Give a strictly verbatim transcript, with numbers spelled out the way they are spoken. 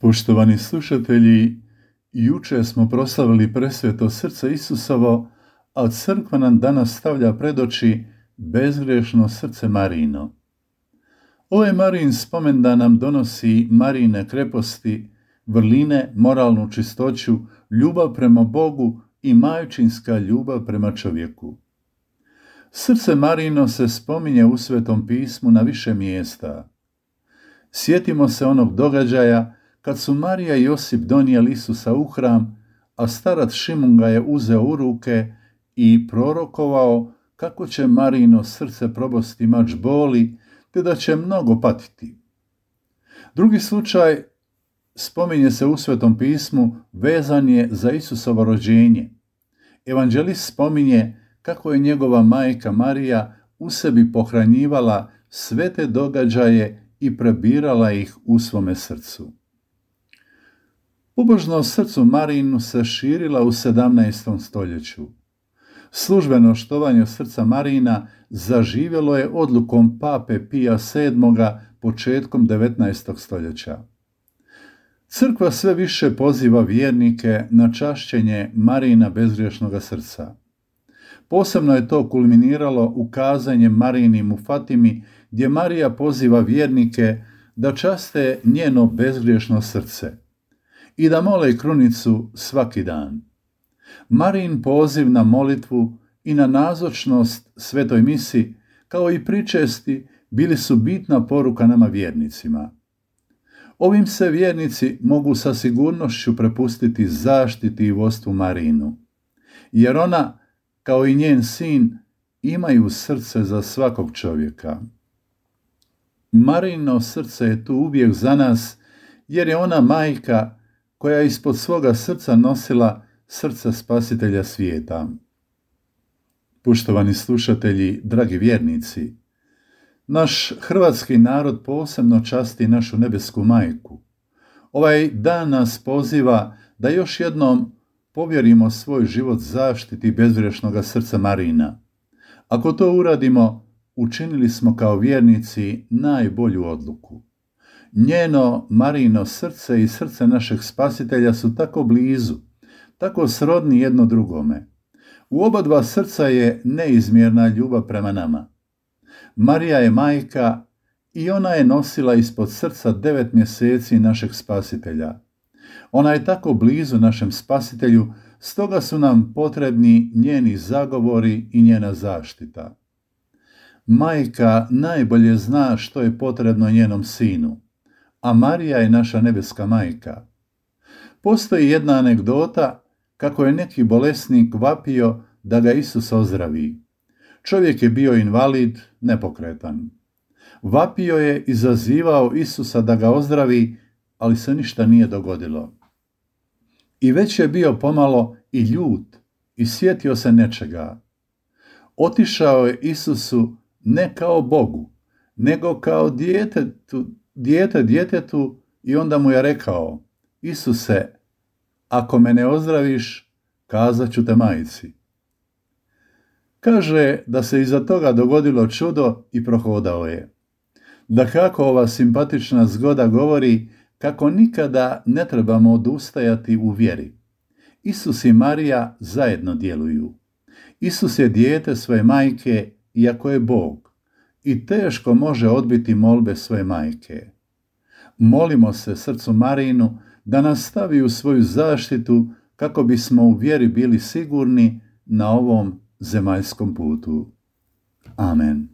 Poštovani slušatelji, juče smo proslavili presveto srce Isusovo, a crkva nam danas stavlja pred oči bezgrešno srce Marijino. Ovaj Marijin spomendan nam donosi Marijine kreposti, vrline, moralnu čistoću, ljubav prema Bogu i majčinska ljubav prema čovjeku. Srce Marijino se spominje u Svetom pismu na više mjesta. Sjetimo se onog događaja kad su Marija i Josip donijeli Isusa u hram, a starac Šimun ga je uzeo u ruke i prorokovao kako će Marijino srce probosti mač boli, te da će mnogo patiti. Drugi slučaj spominje se u Svetom pismu, vezan je za Isusovo rođenje. Evanđelist spominje kako je njegova majka Marija u sebi pohranjivala sve te događaje i prebirala ih u svome srcu. Pobožnost srcu Marijinu se širila u sedamnaestom stoljeću. Službeno štovanje srca Marijina zaživjelo je odlukom pape Pija sedmoga početkom devetnaestog stoljeća. Crkva sve više poziva vjernike na čašćenje Marijina bezgriješnoga srca. Posebno je to kulminiralo ukazanjem Marijinim u Fatimi, gdje Marija poziva vjernike da časte njeno bezgriješno srce i da mole krunicu svaki dan. Marijin poziv na molitvu i na nazočnost svetoj misi, kao i pričesti, bili su bitna poruka nama vjernicima. Ovim se vjernici mogu sa sigurnošću prepustiti zaštiti i vodstvu Marijinu, jer ona, kao i njen sin, imaju srce za svakog čovjeka. Marijino srce je tu uvijek za nas, jer je ona majka koja je ispod svoga srca nosila srce Spasitelja svijeta. Poštovani slušatelji, dragi vjernici, naš hrvatski narod posebno časti našu nebesku majku. Ovaj dan nas poziva da još jednom povjerimo svoj život zaštiti bezgrešnoga srca Marijina. Ako to uradimo, učinili smo kao vjernici najbolju odluku. Njeno Marijino srce i srce našeg Spasitelja su tako blizu, tako srodni jedno drugome. U oba dva srca je neizmjerna ljubav prema nama. Marija je majka i ona je nosila ispod srca devet mjeseci našeg Spasitelja. Ona je tako blizu našem Spasitelju, stoga su nam potrebni njeni zagovori i njena zaštita. Majka najbolje zna što je potrebno njenom sinu, a Marija je naša nebeska majka. Postoji jedna anegdota kako je neki bolesnik vapio da ga Isus ozdravi. Čovjek je bio invalid, nepokretan. Vapio je i zazivao Isusa da ga ozdravi, ali se ništa nije dogodilo. I već je bio pomalo i ljut i sjetio se nečega. Otišao je Isusu ne kao Bogu, nego kao djetetu, dijete djetetu i onda mu je rekao: Isuse, ako me ne ozdraviš, kazat ću te majci. Kaže da se iza toga dogodilo čudo i prohodao je. Dakako, ova simpatična zgoda govori kako nikada ne trebamo odustajati u vjeri. Isus i Marija zajedno djeluju. Isus je dijete svoje majke, iako je Bog, i teško može odbiti molbe svoje majke. Molimo se srcu Marijinu da nas stavi u svoju zaštitu kako bismo u vjeri bili sigurni na ovom zemaljskom putu. Amen.